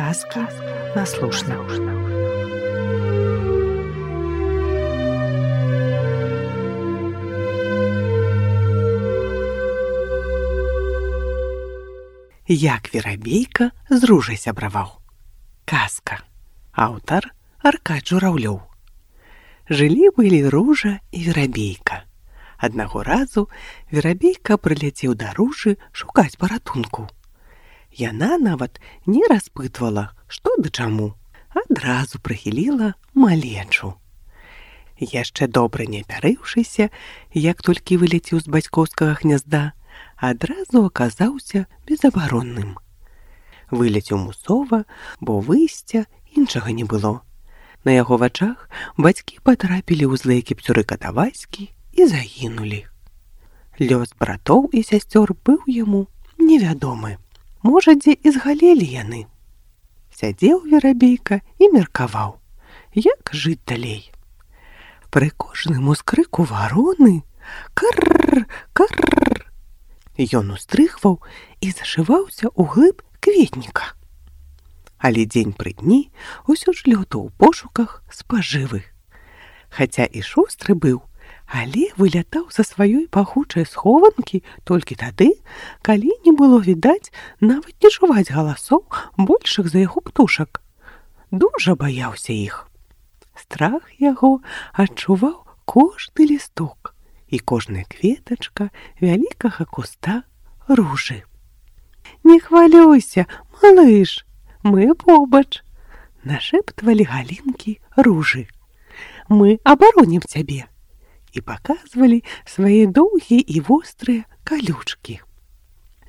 Сказки на слушна. Як верабейка з ружай сябраваў. Казка. Аўтар Аркадь Жураўлёў. Жылі-былі ружа і верабейка. Аднаго разу верабейка прыляцеў да ружы шукаць паратунку. Яна нават не распытвала, што да чаму, адразу прыхіліла малечу. Яшчэ добра не апярыўшыся, як толькі вылецеў з бацькоўскага гнязда, адразу аказаўся безабаронным. Вылецеў мусова, бо выйсця іншага не было. На яго вачах бацькі патрапілі ў злыя кіпцюры катаваські і загінулі. Лёс братоў і сясцёр быў яму невядомы. Можа, дзе і згалелі яны. Сядзеў верабейка і меркаваў, як жыць далей. Пры кожным ускрыку вароны «Карр! Карр!» ён устрыхваў і зашываўся ў глыб кветніка. Але дзень пры дні усё ж лётаў у пошуках спажывы. Хаця і шустры быў, але вылятаў са сваёй пахучай схованкі толькі тады, калі не было відаць нават не чуваць галасоў большых за яго птушак. Дужа баяўся іх. Страх яго адчуваў кожны лісток і кожная кветачка вялікага куста ружы. «Не хвалюйся, малыш, мы побач!» — нашэптвалі галінкі ружы. «Мы абаронім цябе!» і паказвалі свае доўгія і вострыя калючкі.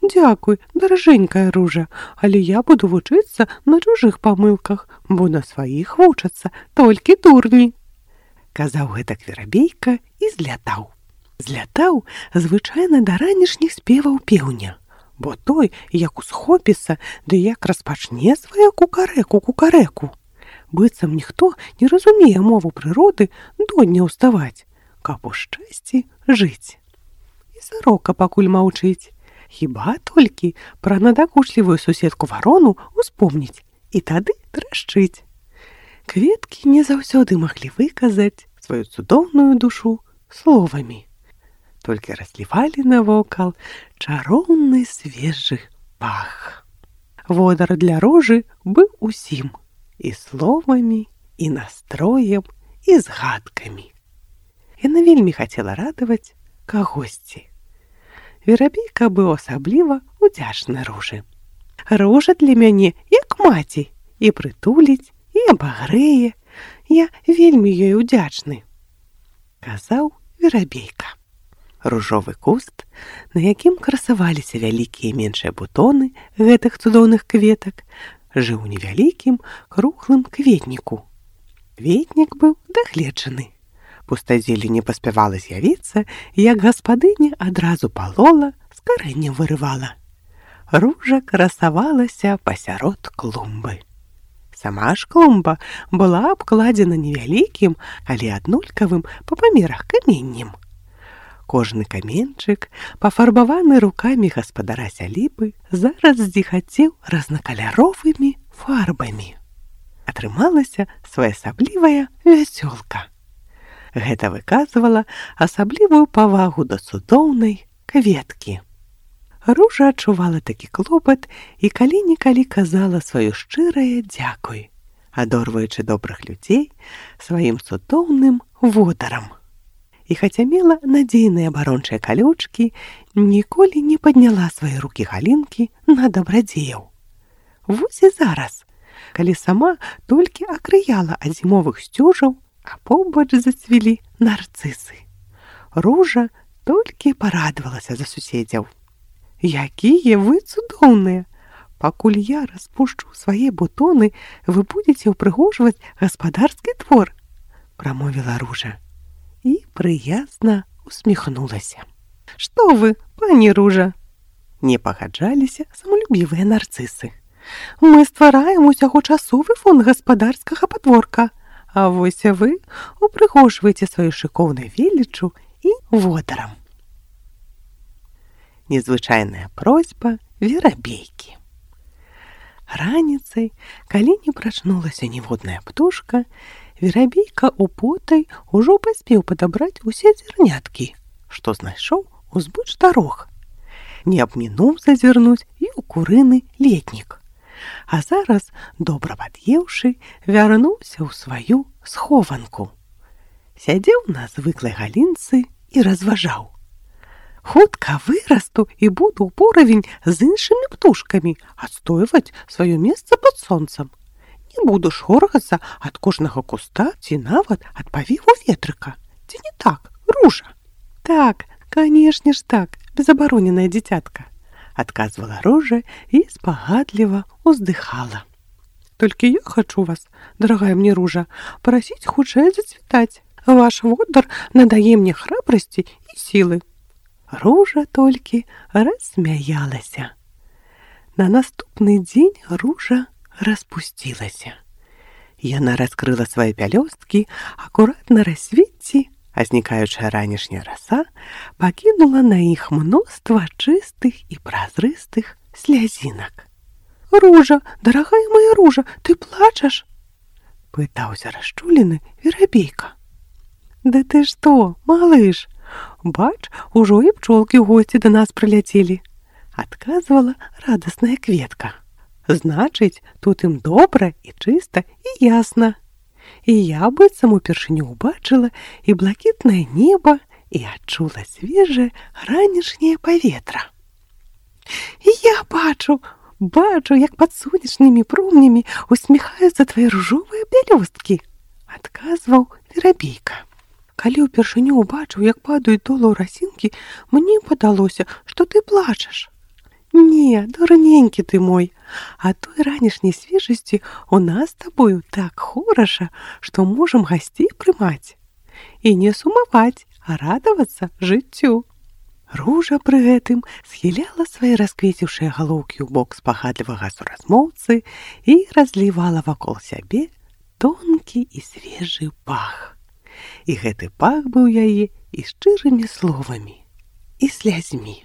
«Дзякуй, даражэнькая ружа, але я буду вучыцца на чужых памылках, бо на сваіх вучацца толькі дурні!» Казаў гэтак верабейка і злятаў. Злятаў звычайна да ранішніх спеваў пеўня, бо той, як усхопіцца, ды як распачне сваю кукарэку-кукарэку. Быццам ніхто не разумее мову прыроды додня ўставаць, каб у шчасці жыць. І сарока пакуль маўчыць, хіба толькі пра надакучлівую суседку варону успомніць і тады трашчыць. Кветкі не заўсёды маглі выказаць сваю цудоўную душу словамі. Толькі разлівалі навокал чароўны свежы пах. Водар для ружы быў усім, і словамі, і настроем, і згадкамі. Яна вельмі хацела радаваць кагосьці. Верабейка быў асабліва удзячны ружы. «Ружа для мяне як маці, і прытуліць, і абагрэе. Я вельмі ёй удзячны», — казаў верабейка. Ружовы куст, на якім красаваліся вялікія і меншыя бутоны гэтых цудоўных кветак, жыў у невялікім круглым кветніку. Кветнік быў дагледжаны. Пустазелле не паспявала з'явіцца, як гаспадыня адразу палола, з карэння вырывала. Ружа красавалася пасярод клумбы. Сама ж клумба была абкладзена невялікім, але аднолькавым па памерах каменнем. Кожны каменчык, пафарбаваны рукамі гаспадара сялібы, зараз здзіхацеў разнакаляровымі фарбамі. Атрымалася своеасаблівая вясёлка. Гэта выказвала асаблівую павагу да цудоўнай кветкі. Ружа адчувала такі клопат і калі-нікалі казала сваё шчырае дзякуй, адорваючы добрых людзей сваім цудоўным водарам. І хаця мела надзейныя абарончыя калючкі, ніколі не падняла свае рукі галінкі на дабрадзеяў. Вось і зараз, калі сама толькі акрыяла ад зімовых сцюжаў, а побач зацвілі нарцысы. Ружа толькі парадавалася за суседзяў. «Якія вы цудоўныя! Пакуль я распушчу свае бутоны, вы будзеце ўпрыгожваць гаспадарскі твор», — прамовіла ружа. І прыязна усміхнулася. «Што вы, пані ружа?» — не пагаджаліся самалюбівыя нарцысы. «Мы ствараем усяго часовы фонд гаспадарскага падворка, а вось вы упрыгожваеце сваю шыкоўнай веліччу і водарам». Незвычайная просьба верабейкі. Раніцай, калі не прачнулася ніводная птушка, верабейка употай ужо паспеў падабраць усе зерняткі, што знайшоў узбыч дарог. Не абмінуў зазірнуць і ў курыны летнік. А зараз, добра пад'еўшы, вярнуўся ў сваю схованку. Сядзеў на звыклай галінцы і разважаў. Хутка вырасту і буду ў поравень з іншымі птушкамі адстойваць сваё месца пад сонцам. Не буду шоргацца ад кожнага куста ці нават ад павеву ветрыка. Ці не так, Ружа? Так, канешне ж так, безабароненая дзіцятка, адказвала Ружа і спагадліва ўздыхала. Толькі я хачу вас, дарагая мне Ружа, прасіць хутчэй зацвітаць. Ваш водар надае мне храбрасці і сілы. Ружа толькі рассмяялася. На наступны дзень Ружа распусцілася. Яна раскрыла свае пялёсткі акурат на рассвеце, а знікаючая ранішняя раса пакінула на іх мноства чыстых і празрыстых слязінак. «Ружа, дарагая моя Ружа, ты плачаш?» — пытаўся расчулены верабейка. «Да ты што, малыш? Бач, ужо і пчолкі ў госці да нас прыляцелі», — адказвала радасная кветка. «Значыць, тут ім добра і чыста і ясна. І я быццам упершыню ўбачыла і блакітнае неба, і адчула свежае ранішняе паветра. І я бачу, як пад сонечнымі промнямі усміхаюцца твае ружовыя пялёсткі», — адказваў верабейка. «Калі ўпершыню ўбачыў, як падаюць долу расінкі, мне падалося, што ты плачаш». «Не, дурненькі ты мой, а той ранішняй свежасці у нас з табою так хораша, што можам гасцей прымаць. І не сумаваць, а радавацца жыццю». Ружа пры гэтым схіляла свае расквеціўшыя галоўкі ў бок спагадлівага суразмоўцы і разлівала вакол сябе тонкі і свежы пах. І гэты пах быў яе і шчырымі словамі, і слязьмі.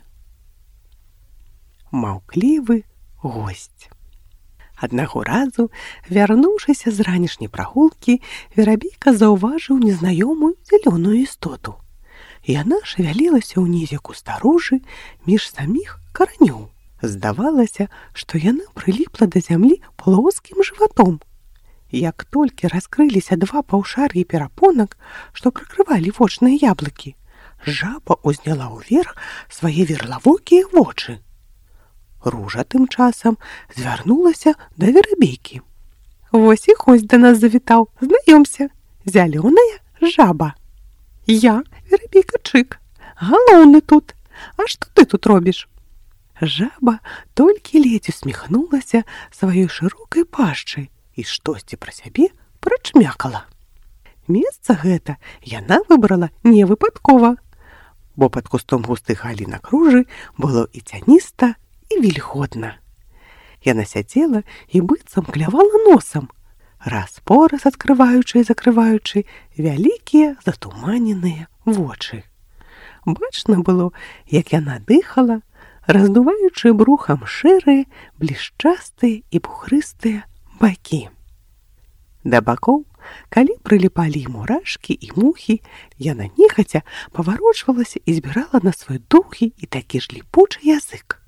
Маўклівы госць. Аднаго разу, вярнуўшыся з ранішняй прагулкі, верабейка заўважыў незнаёмую зялёную істоту. Яна шавялілася ўнізе куста ружы між саміх каранёў. Здавалася, што яна прыліпла да зямлі плоскім жыватом. Як толькі раскрыліся два паўшар'і перапонак, што прыкрывалі вочныя яблыкі, жаба ўзняла ўверх свае верлавокія вочы. Ружа тым часам звярнулася да верабейкі. «Вось і госць да нас завітаў, знаёмся, зялёная жаба. Я, верабейка Чык, галоўны тут. А што ты тут робіш?» Жаба толькі ледзь усміхнулася сваёй шырокай пашчай і штосьці пра сябе прачмякала. Месца гэта яна выбрала не выпадкова, бо пад кустом густых галінак ружы было і цяніста, і вільготна. Яна сядзела і быццам клявала носам, раз-пораз адкрываючы і закрываючы вялікія затуманеныя вочы. Бачна было, як яна дыхала, раздуваючы брухам шэрыя, блішчастыя і пухрыстыя бакі. Да бакоў, калі прыліпалі мурашкі і мухі, яна нехаця паварочвалася і збірала на свой доўгі і такі ж ліпучы язык.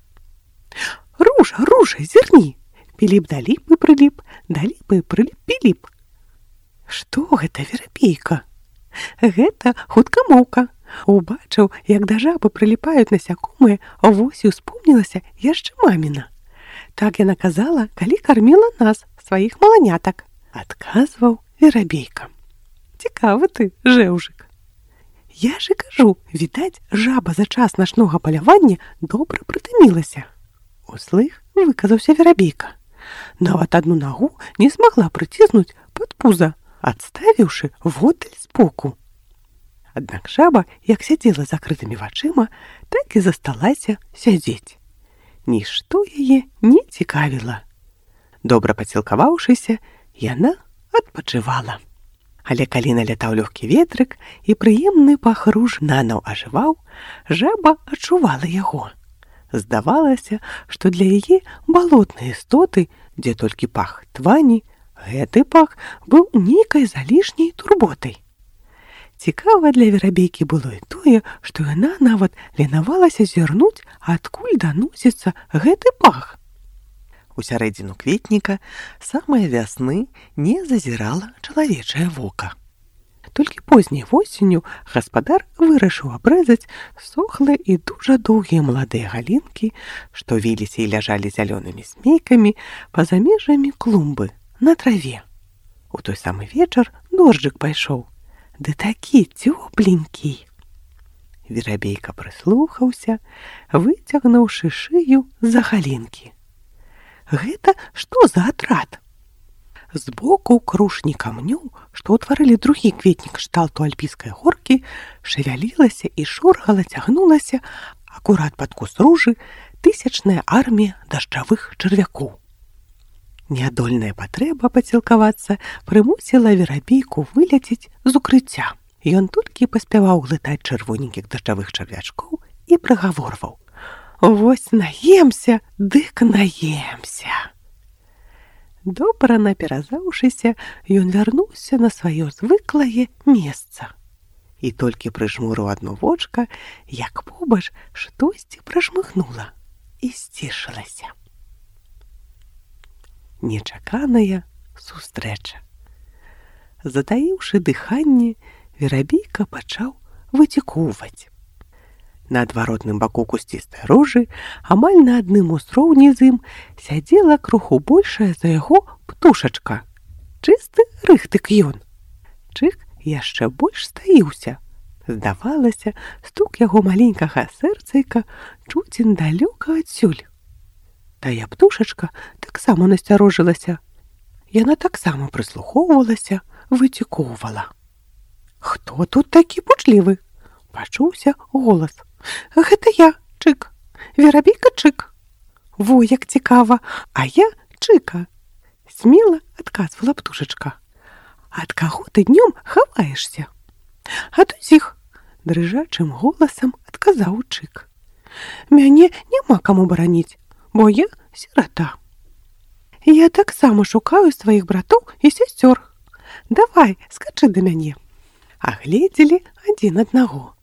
«Ружа, Ружа, зірні! Піліп да ліпы прыліп, да ліпы прыліп піліп». «Што гэта, верабейка?» «Гэта хуткамоўка. Убачыў, як да жабы прыліпаюць насякомыя, вось і ўспомнілася яшчэ маміна. Так яна казала, калі карміла нас, сваіх маланятак», — адказваў верабейка. «Цікавы ты, жэўжык. Я ж і кажу, відаць, жаба за час начнога палявання добра прытымілася». Услых выказаўся верабейка. Нават адну нагу не змагла прыціснуць пад пуза, адставіўшы воддаль збоку. Аднак жаба, як сядзела закрытымі вачыма, так і засталася сядзець. Нішто яе не цікавіла. Добра пацілкаваўшыся, яна адпачывала. Але калі налятаў лёгкі ветрык і прыемны пах руж нанаў ажываў, жаба адчувала яго. Здавалася, што для яе балотныя істоты Дзе толькі пах твані, гэты пах быў нейкай залішняй турботай. Цікава для верабейкі было і тое, што яна нават ленавалася зірнуць, адкуль даносіцца гэты пах. У сярэдзіну кветніка самай вясны не зазірала чалавечае вока. Толькі позняй восенню гаспадар вырашыў абрэзаць сохлыя і дужа доўгія маладыя галінкі, што віліся і ляжалі зялёнымі змейкамі па-за межамі клумбы на траве. У той самы вечар дожджык пайшоў, ды такі цёпленькі. Верабейка прыслухаўся, выцягнуўшы шыю з-за галінкі. Гэта што за атрад? Збоку крушні камнёў, што ўтварылі другі кветнік кшталту альпійскай горкі, шавялілася і шоргала цягнулася, акурат пад куст ружы, тысячная армія дажджавых чарвякоў. Неадольная патрэба пацілкавацца прымусіла верабейку выляцець з укрыцця. Ён толькі паспяваў глытаць чырвоненькіх дажджавых чарвячкоў і прагаворваў: «Вось наемся, дык наемся!» Добра наперазаўшыся, ён вярнуўся на сваё звыклае месца. І толькі прыжмурыў адно вочка, як побач штосьці пражмыхнула і сцішылася. Нечаканая сустрэча. Затаіўшы дыханне, верабейка пачаў выцікоўваць. На адваротным баку кусцістай ружы, амаль на адным узроўні з ім, сядзела крыху большая за яго птушачка. Чысты рыхтык ён. Чык яшчэ больш стаіўся. Здавалася, стук яго маленькага сэрцайка чуць далёка адсюль. Тая птушачка таксама насцярожылася. Яна таксама прыслухоўвалася, выцікоўвала. «Хто тут такі пучлівы?» — пачуўся голас. «Гэта я, Чык, верабейка Чык». «Во, як цікава, а я Чыка», — смела адказвала птушачка. «Ад каго ты днём хаваешся?» «Ад усіх», — дрыжачым голасам адказаў Чык. «Мяне няма каму бараніць, бо я сірата. Я таксама шукаю сваіх братоў і сясцёр. Давай, скачы да мяне». Агледзелі адзін аднаго.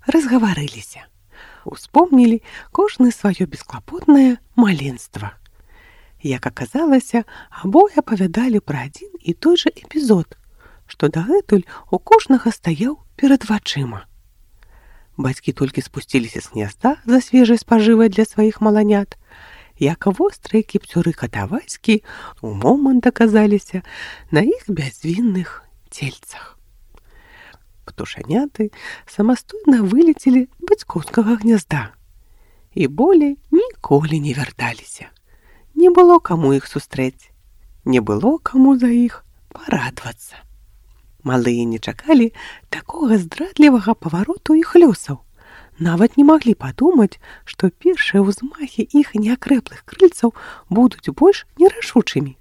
Разгаварыліся. Успомнілі кожны сваё бесклапотнае маленства. Як аказалася, абое апавядалі пра адзін і той жа эпізод, што дагэтуль у кожнага стаяў перад вачыма. Бацькі толькі спусціліся з гнязда за свежай спажывай для сваіх маланят, як вострыя кіпцюры катавайскі у момант аказаліся на іх бязвінных цельцах. Птушаняты самастойна вылецелі з бацькоўскага гнязда і болей ніколі не вярталіся. Не было каму іх сустрэць, не было каму за іх парадвацца. Малыя не чакалі такога здрадлівага павароту іх лёсаў, нават не маглі падумаць, што першыя ўзмахі іх неакрэплых крыльцаў будуць больш нерашучымі.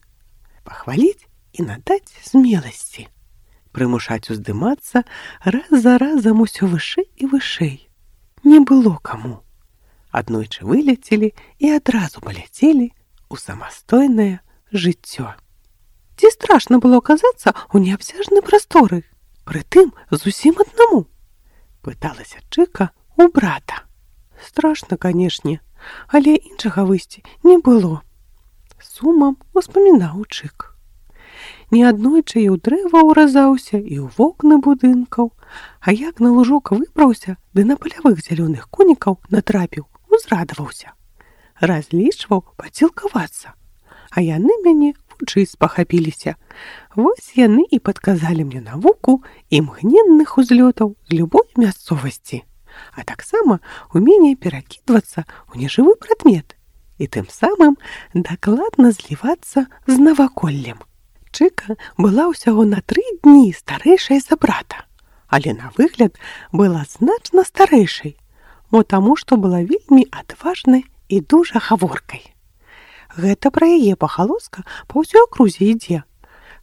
Пахваліць і надаць смеласці. Прымушаць уздымацца раз за разам усё вышэй і вышэй. Не было каму. Аднойчы вылецелі і адразу паляцелі у самастойнае жыццё. Ці страшна было аказацца ў неабсяжнай прасторы, прытым зусім аднаму? Пыталася Чыка у брата. Страшна, канешне, але іншага выйсця не было. Сумам успамінаў Чык. Неаднойчы і ў дрэва ўразаўся, і ў вокны будынкаў, а як на лужок выбраўся, ды на палявых зялёных конікаў натрапіў, узрадаваўся. Разлічваў пацілкавацца, а яны мяне вучыць спахапіліся. Вось яны і падказалі мне навуку імгненных узлётаў з любой мясцовасці, а таксама умение перакідвацца ў нежывы прадмет і тым самым дакладна злівацца з наваколлем. Чыка была ўсяго на 3 дні старэйшай за брата, але на выгляд была значна старэйшай, мо таму, што была вельмі адважнай і дужа гаворкай. Гэта пра яе пахалоска па ўсёй акрузе ідзе,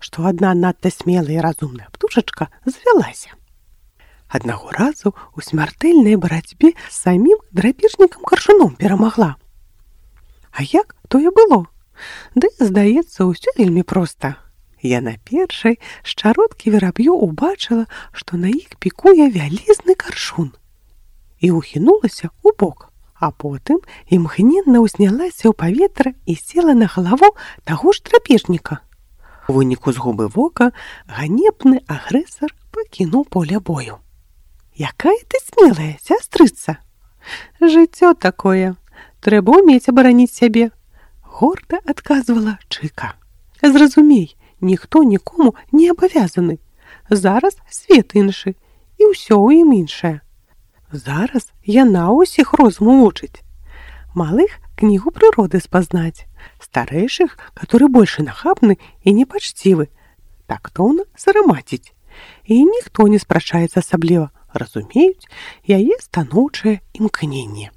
што адна надта смелая і разумная птушачка звялася. Аднаго разу у смяртэльнай барацьбе з самім драпежнікам-каршуном перамагла. А як тое было? Ды, здаецца, усё вельмі проста. Яна першай з чародкі вераб'ю убачыла, што на іх пікуе вялізны каршун. І ухінулася ў бок, а потым імгненна ўзнялася ў паветра і села на галаву таго ж драпежніка. У выніку згубы вока ганебны агрэсар пакінуў поле бою. «Якая ты смелая, сястрыца!» «Жыццё такое, трэба ўмець абараніць сябе», — горда адказвала Чыка. «Зразумей, ніхто нікому не абавязаны. Зараз свет іншы, і ўсё ў ім іншае. Зараз яна ўсіх розуму вучыць. Малых кнігу прыроды спазнаць, старэйшых, которые больше нахабны і непачцівы, тактоўна сарамаціць. І ніхто не спрачаецца асабліва, разумеюць яе станоўчае імкненне.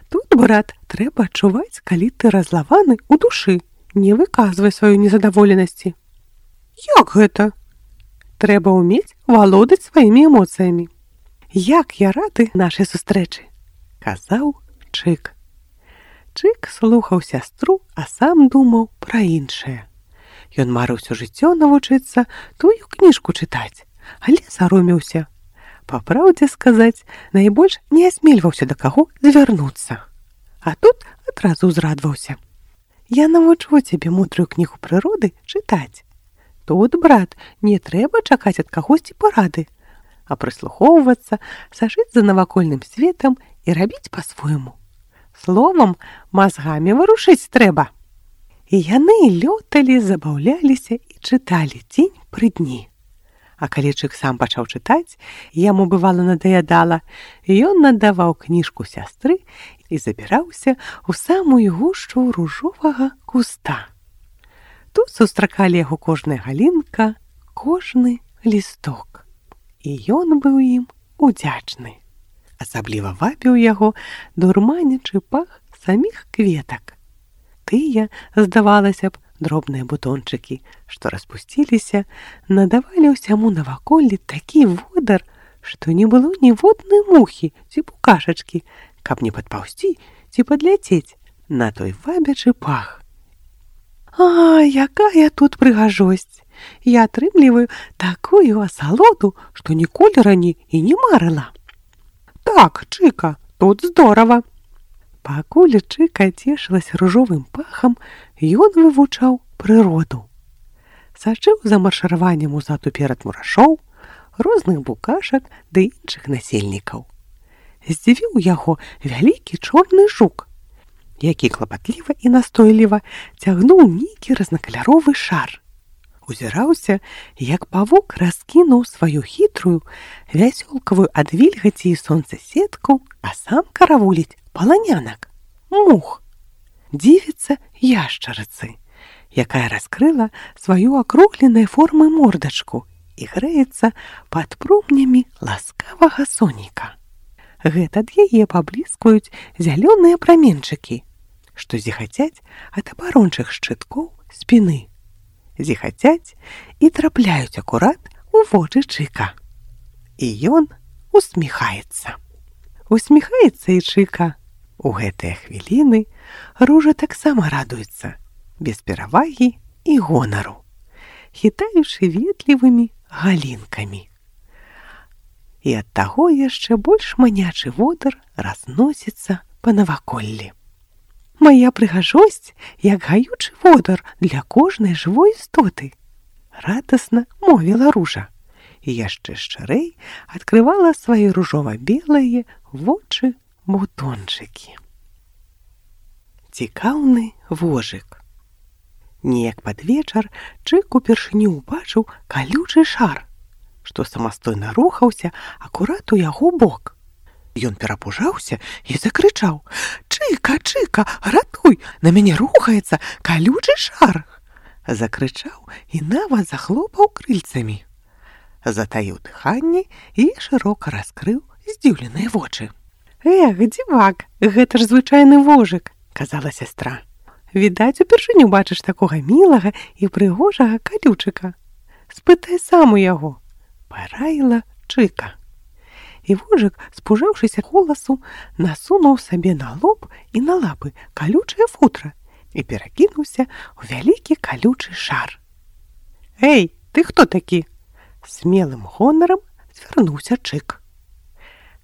Тут, брат, трэба адчуваць, калі ты разлаваны ў душы, не выказвай сваёй незадаволенасці». «Як гэта?» «Трэба ўмець валодаць сваімі эмоцыямі». «Як я рады нашай сустрэчы», — казаў Чык. Чык слухаў сястру, а сам думаў пра іншае. Ён марыў усё жыццё навучыцца тую кніжку чытаць, але саромеўся. Па праўдзе сказаць, найбольш не асмельваўся да каго звярнуцца. А тут адразу ўзрадваўся. «Я навучу цябе мудрую кнігу прыроды чытаць. Тут, брат, не трэба чакаць ад кагосьці парады, а прыслухоўвацца, сажыць за навакольным светам і рабіць па-свойму. Словам, мазгамі варушыць трэба». І яны лёталі, забаўляліся і чыталі дзень пры дні. А калі Чык сам пачаў чытаць, яму бывала надаядала, ён надаваў кніжку сястры і забіраўся ў самую гушчу ружовага куста. Тут сустракалі яго кожная галінка, кожны лісток. І ён быў ім удзячны. Асабліва вабіў яго дурманячы пах саміх кветак. Тыя, здавалася б, дробныя бутончыкі, што распусціліся, надавалі ўсяму наваколлі такі водар, што не было ніводнай мухі ці букашачкі, каб не падпаўсці ці падляцець на той вабячы пах. «А, якая тут прыгажосць! Я атрымліваю такую асалоду, што ніколі раней і не марыла». «Так, Чыка, тут здорава». Пакуль Чыка цешылася ружовым пахам, ён вывучаў прыроду. Сачыў за маршыраваннем узад уперад мурашоў, розных букашак ды іншых насельнікаў. Здзівіў яго вялікі чорны жук, які клапатліва і настойліва цягнуў нейкі разнакаляровы шар. Узіраўся, як павук раскінуў сваю хітрую, вясёлкавую ад вільгаці і сонца сетку, а сам каравуліць паланянак, мух. Дзівіцца яшчарыцы, якая раскрыла сваю акругленай формы мордачку і грэецца пад промнямі ласкавага соніка. Гэта ад яе пабліскваюць зялёныя праменчыкі, што зіхацяць ад абарончых шчыткоў спіны. Зіхацяць і трапляюць акурат у вочы Чыка. І ён усміхаецца. Усміхаецца і Чыка. У гэтыя хвіліны Ружа таксама радуецца, без перавагі і гонару, хітаючы ветлівымі галінкамі. І ад таго яшчэ больш манячы водар разносіцца па наваколлі. «Мая прыгажосць, як гаючы водар для кожнай жывой істоты», — радасна мовіла Ружа, і яшчэ шчырэй адкрывала свае ружова-белыя вочы бутончыкі. Цікаўны вожык. Неяк пад вечар Чык упершыню ўбачыў калючы шар, што самастойна рухаўся акурат у яго бок. Ён перапужаўся і закрычаў: «Чыка, Чыка, ратуй! На мяне рухаецца калючы шар!» Закрычаў і нават захлопаў крыльцамі. Затаіў дыханне і шырока раскрыў здзіўленыя вочы. «Эх, дзівак, гэта ж звычайны вожык», — казала сястра. «Відаць, упершыню бачыш такога мілага і прыгожага калючыка. Спытай сам у яго», — параіла Чыка. І вожык, спужаўшыся голасу, насунуў сабе на лоб і на лапы калючае футра і перакінуўся ў вялікі калючы шар. «Эй, ты хто такі?» Смелым гонарам звярнуўся Чык.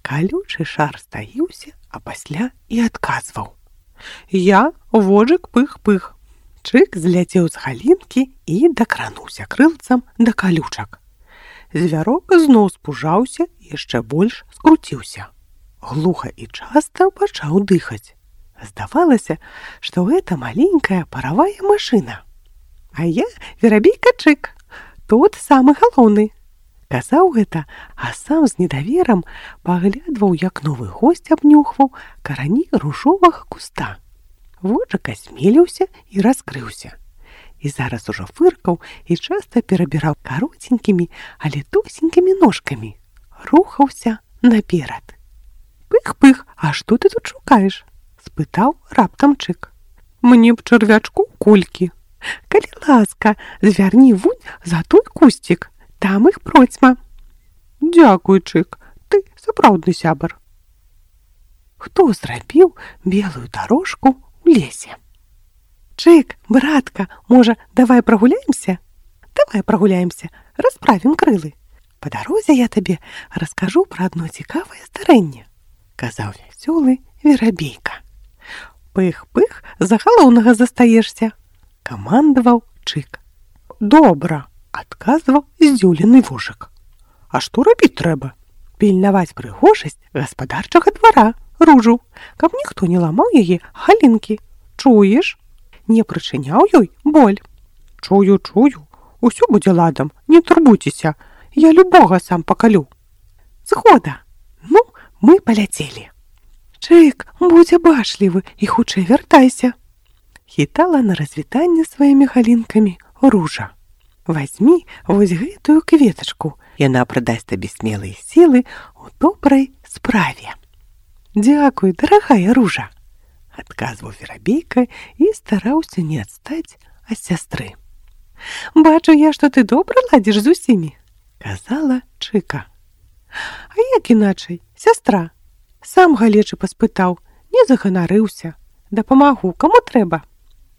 Калючы шар стаіўся, а пасля і адказваў: «Я вожык Пых-Пых». Чык зляцеў з галінкі і дакрануўся крылцам да калючак. Звярок зноў спужаўся і яшчэ больш скруціўся. Глуха і часта пачаў дыхаць. Здавалася, што гэта маленькая паравая машына. «А я верабейка Чык, тут самы галоўны». Казаў гэта, а сам з недаверам паглядваў, як новы госць абнюхваў карані ружовага куста. Вожык асмеліўся і раскрыўся. І зараз ужо фыркаў і часта перабіраў кароценькімі, але тосенькімі ножкамі. Рухаўся наперад. «Пых-Пых, а што ты тут шукаеш?» – спытаў раптам Чык. «Мне б чарвячку кулькі. Калі ласка, звярні вунь за той кусцік, там іх процьма». «Дзякуй, Чык, ты сапраўдны сябар». Хто зрабіў белую дарожку у лесе? «Чык, братка, можа, давай прагуляемся?» «Давай прагуляемся, расправім крылы. Па дарозе я табе раскажу пра адно цікавае здарэнне», – казаў вясёлы верабейка. «Пых-Пых, за галоўнага застаешся», – камандаваў Чык. «Добра», – адказваў здзіўлены вожык. «А што рабіць трэба?» «Пільнаваць прыгожасць гаспадарчага двара, ружу, каб ніхто не ламаў яе галінкі. Чуеш? Не прычыняў ёй боль». «Чую, чую, усё будзе ладам, не турбуйцеся, я любога сам пакалю». «Згода, ну, мы паляцелі». «Чык, будзь абачлівы і хутчэй вяртайся», – хітала на развітанне сваімі галінкамі ружа. «Вазьмі вось гэтую кветачку, яна прыдасць табе смелыя сілы ў добрай справе». «Дзякуй, дарагая ружа», – адказваў верабейка і стараўся не адстаць ад сястры. «Бачу я, што ты добра ладзіш з усімі», – казала Чыка. «А як іначай, сястра? Сам галечы паспытаў, не заганарыўся. Дапамагу, каму трэба».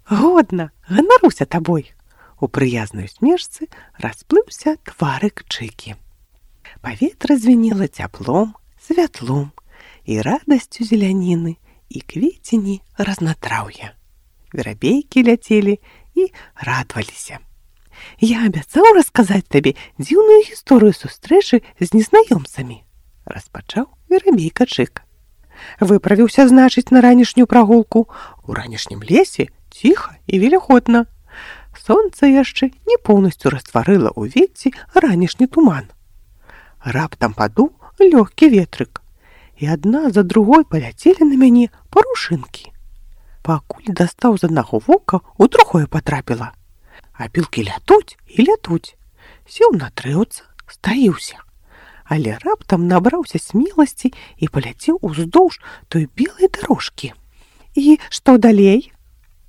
«Годна, ганаруся табой». У прыязнай усмешцы расплыўся тварык Чыкі. Паветра звенела цяплом, святлом і радасцю зеляніны і квецені разнатраўя. Верабейкі ляцелі і радаваліся. «Я абяцаў расказаць табе дзіўную гісторыю сустрэчы з незнаёмцамі», – распачаў верабейка Чык. «Выправіўся, значыць, на ранішнюю прагулку. У ранішнім лесе ціха і вільготна. Сонца яшчэ не поўнасцю растварыла ў вецці ранішні туман. Раптам падуў лёгкі ветрык, і адна за другой паляцелі на мяне парушынкі. Пакуль дастаў з аднаго вока, у другое патрапіла. А пілкі лятуць і лятуць. Сеў на дрэўца, стаіўся. Але раптам набраўся смеласці і паляцеў уздоўж той белай дарожкі». «І што далей?»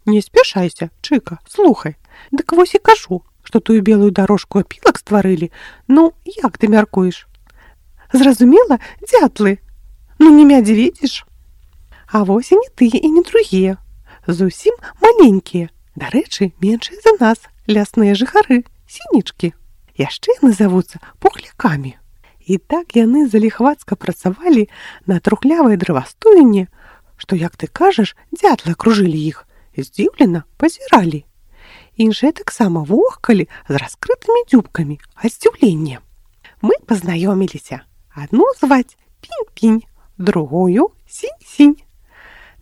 «Не спяшайся, Чыка, слухай. Дык вось і кажу, што тую белую дарожку апілак стварылі. Ну, як ты мяркуеш?» «Зразумела, дзятлы. Ну, не мядзведзіш. А вось і не тыя і не другія. Зусім маленькія. Дарэчы, меншыя за нас, лясныя жыхары, сінічкі. Яшчэ яны завуцца пухлякамі». І так яны заліхвацка працавалі на трухлявай дрэвастоіне, што, як ты кажаш, дзятлы акружылі іх, здзіўлена пазіралі. Іншыя таксама вохкалі з раскрытымі дзюбкамі ад здзіўлення. Мы пазнаёміліся. Адну зваць Пінь-Пінь, другую Сінь-Сінь.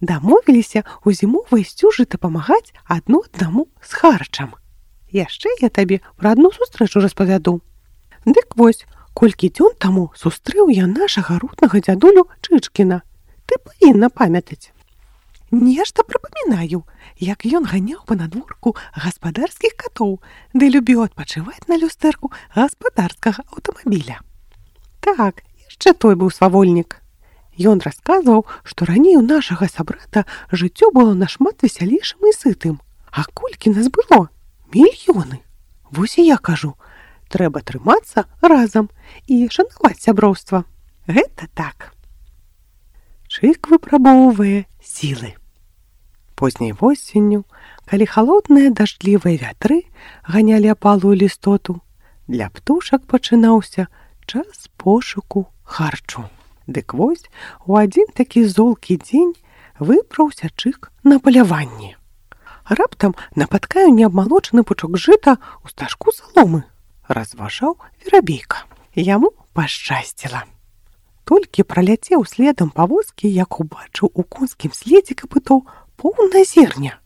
Дамовіліся ў зімовай сцюжы дапамагаць адно аднаму з харчам. Яшчэ я табе пра адну сустрэчу распавяду. Дык вось, колькі дзён таму сустрэў я нашага рутнага дзядулю Чычкіна. Ты павінна памятаць. Нешта прыпамінаю, як ён ганяў па надворку гаспадарскіх катоў, ды любіў адпачываць на люстэрку гаспадарскага аўтамабіля. Так, яшчэ той быў свавольнік. Ён расказваў, што раней у нашага сабрата жыццё было нашмат весялейшым і сытым. А колькі нас было? Мільёны. Вось і я кажу, трэба трымацца разам і шанаваць сяброўства. Гэта так. Чык выпрабоўвае сілы. Позняй восенню, Калі халодныя дажджлівыя вятры ганялі апалую лістоту, для птушак пачынаўся час пошуку харчу. Дык вось, у адзін такі золкі дзень выпраўся Чык на паляванне. Раптам напаткаю неабмалочаны пучок жыта ў стажку саломы, разважаў Верабейка. Яму пашчасціла. Толькі праляцеў следам павозкі, як убачыў у конскім следзе капытоў поўна зерня.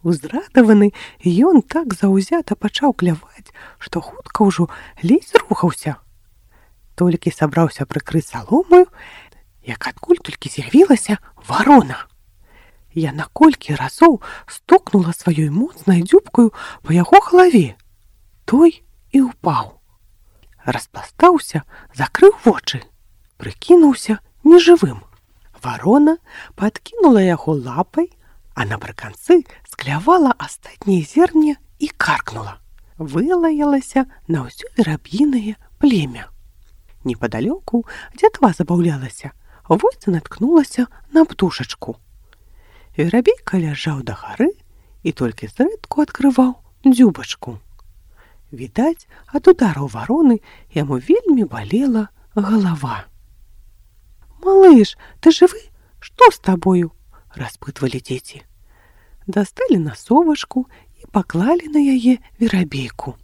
Узрадаваны, ён так заўзята пачаў кляваць, што хутка ўжо ледзь рухаўся. Толькі сабраўся прыкрыць саломаю, як адкуль толькі з'явілася варона. Яна колькі разоў стукнула сваёй моцнай дзюбкаю па яго галаве. Той і ўпаў. Распластаўся, закрыў вочы, прыкінуўся нежывым. Варона падкінула яго лапай, а напрыканцы склявала астатняе зерне і каркнула. Вылаялася на ўсё вераб'інае племя. Непадалёку дзятва забаўлялася, вось наткнулася на птушачку. Верабейка ляжаў да гары і толькі зрэдку адкрываў дзюбачку. Відаць, ад удараў вароны яму вельмі балела галава. «Малыш, ты жывы? Што з табою?» – распытвалі дзеці. Дасталі насовачку і паклалі на яе Верабейку.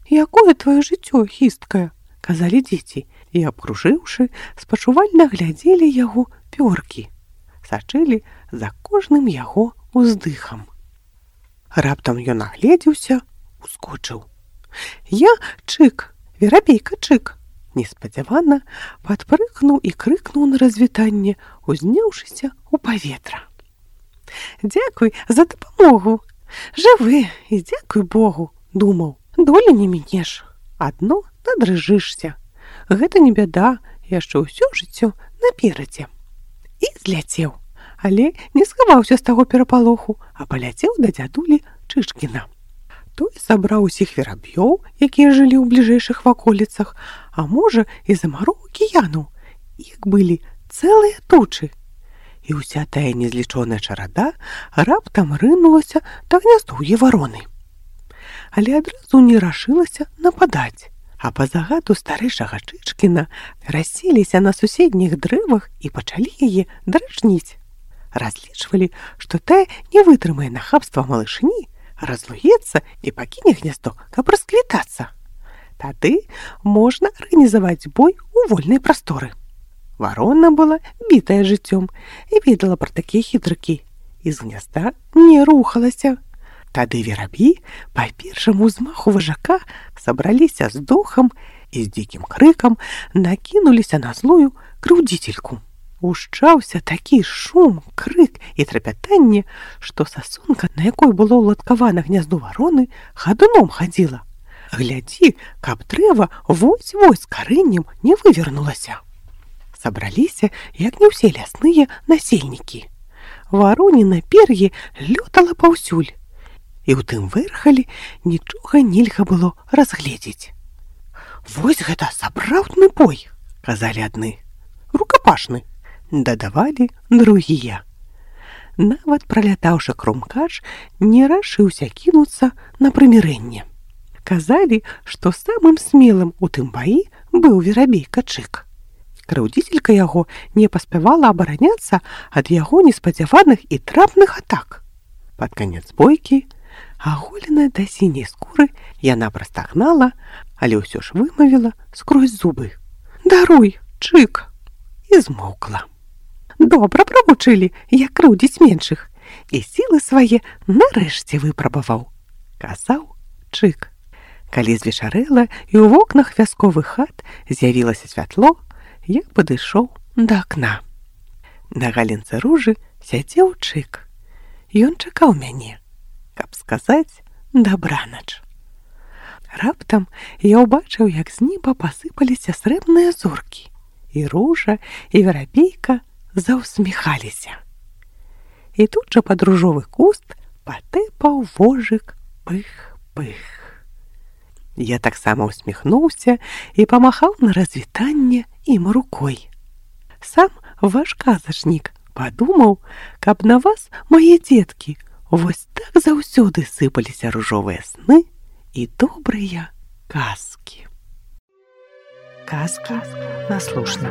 «Якое тваё жыццё хісткае?» – казалі дзеці, і, абкружыўшы, спачувальна глядзелі яго пёркі. Сачылі за кожным яго ўздыхам. Раптам ён агледзеўся, ускочыў. «Я Чык, Верабейка Чык!» Неспадзявана падпрыгнуў і крыкнуў на развітанне, узняўшыся ў паветра. «Дзякуй за дапамогу! Жывы і дзякуй Богу!» – думаў. «Долі не мінеш, адно надрыжышся. Гэта не бяда, яшчэ ўсё жыццё наперадзе». І зляцеў, але не схаваўся з таго перапалоху, а паляцеў да дзядулі Чышкіна. Той сабраў усіх вераб'ёў, якія жылі ў бліжэйшых ваколіцах, а можа, і за мару акіяну. Іх былі цэлыя тучы. І ўся тая незлічоная чарада раптам рынулася да гняздоўя вароны. Але адразу не рашылася нападаць, а па загаду старэйшага Чышкіна расселіся на суседніх дрэвах і пачалі яе дражніць. Разлічвалі, што тая не вытрымае нахабства малышні, разлуецца і пакіне гняздо, каб расквітацца. Тады можна арганізаваць бой у вольнай прасторы. Варона была бітая жыццём і ведала пра такія хітрыкі, і з гнязда не рухалася. Тады вераб'і па першаму ўзмаху важака сабраліся з духам і з дзікім крыкам накінуліся на злую крыўдзіцельку. Ушчаўся такі шум, крык і трапятанне, што сасунка, на якой было ўладкавана гнязду вароны, хадуном хадзіла. Глядзі, каб дрэва вось-вось з карэннем не вывернулася. Сабраліся, як не ўсе лясныя насельнікі. Вароніна пер'е лётала паўсюль, і ў тым вэрхалі нічога нельга было разгледзець. «Вось гэта сапраўдны бой!» – казалі адны. «Рукапашны!» – дадавалі другія. Нават пралятаўшы крумкач, не рашыўся кінуцца на прымірэнне. Казалі, што самым смелым у тым баі быў Верабейка Чык. Крыўдзіцелька яго не паспявала абараняцца ад яго неспадзяваных і трапных атак. Пад канец бойкі, аголеная да сіняй скуры, яна прастагнала, але ўсё ж вымавіла скрозь зубы: «Даруй, Чык!» і змоўкла. Добра правучылі, як крыўдзіць меншых, і сілы свае нарэшце выпрабаваў, казаў Чык. Калі звечарэла і ў вокнах вясковых хат з'явілася святло, я падышоў да акна. На галінцы ружы сядзеў Чык. Ён чакаў мяне, каб сказаць дабранач. Раптам я ўбачыў, як з неба пасыпаліся срэбныя зоркі, і ружа, і верабейка заўсміхаліся. І тут жа пад ружовы куст патэпаў вожык пых-пых. Я таксама усміхнуўся і памахаў на развітанне ім рукой. Сам ваш казачнік падумаў, каб на вас, мае дзеткі, Вось так заўсёды сыпаліся ружовыя сны і добрыя казкі. Казкі на слушна.